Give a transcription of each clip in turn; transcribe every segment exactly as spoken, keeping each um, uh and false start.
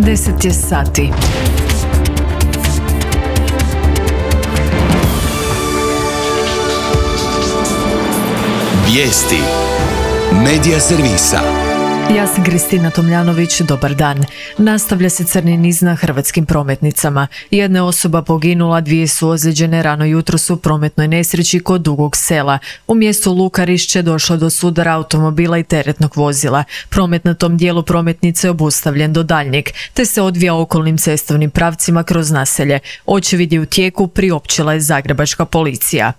Deset je sati. Vijesti Medija servisa. Ja sam Kristina Tomljanović, dobar dan. Nastavlja se crni niz na hrvatskim prometnicama. Jedna je osoba poginula, dvije su ozlijeđene rano jutros u prometnoj nesreći kod Dugog Sela. U mjestu Lukarišće došlo do sudara automobila i teretnog vozila. Promet na tom dijelu prometnice je obustavljen do daljnjeg, te se odvija okolnim cestovnim pravcima kroz naselje. Očevid je u tijeku, priopćila je zagrebačka policija.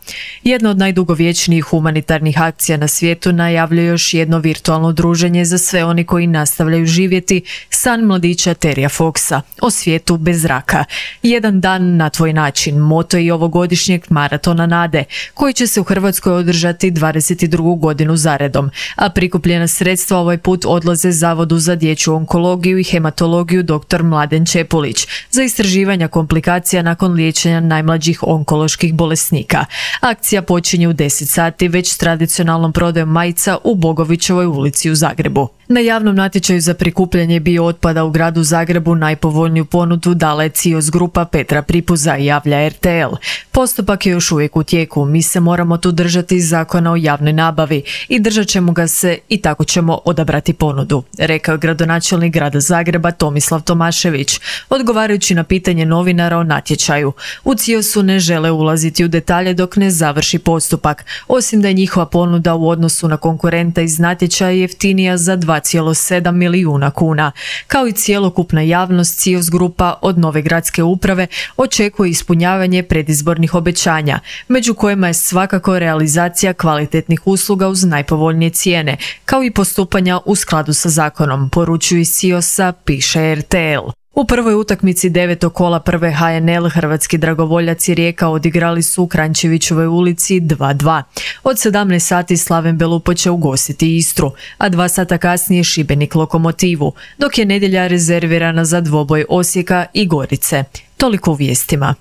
Jedna od najdugovječnijih humanitarnih akcija na svijetu najavljuje još jedno virtualno druženje za sve oni koji nastavljaju živjeti san mladića Terija Foxa o svijetu bez raka. Jedan dan na tvoj način, moto je i ovogodišnjeg maratona nade, koji će se u Hrvatskoj održati dvadeset drugu godinu zaredom, a prikupljena sredstva ovaj put odlaze Zavodu za dječju onkologiju i hematologiju dr. Mladen Čepulić za istraživanja komplikacija nakon liječenja najmlađih onkoloških bolesnika. Akcija počinje u deset sati već s tradicionalnom prodajom majica u Bogovićevoj ulici u Zagrebu. Na javnom natječaju za prikupljanje biootpada u gradu Zagrebu najpovoljniju ponudu dala je C I O S grupa Petra Pripuza, javlja R T L. Postupak je još uvijek u tijeku, mi se moramo tu držati zakona o javnoj nabavi i držat ćemo ga se i tako ćemo odabrati ponudu, rekao je gradonačelnik grada Zagreba Tomislav Tomašević, odgovarajući na pitanje novinara o natječaju. U C I O S-u ne žele ulaziti u detalje dok ne završi postupak, osim da je njihova ponuda u odnosu na konkurenta iz natječaja jeftinija za dva zarez sedam milijuna kuna. Kao i cjelokupna javnost, C I O S grupa od nove gradske uprave očekuje ispunjavanje predizbornih obećanja, među kojima je svakako realizacija kvalitetnih usluga uz najpovoljnije cijene, kao i postupanja u skladu sa zakonom, poručuju iz C I O S-a, piše R T L. U prvoj utakmici devetog kola prve H N L hrvatski dragovoljaci Rijeka odigrali su u Kranjčevićevoj ulici dva dva. Od sedamnaest sati Slaven Belupo će ugostiti Istru, a dva sata kasnije Šibenik Lokomotivu, dok je nedjelja rezervirana za dvoboj Osijeka i Gorice. Toliko u vijestima.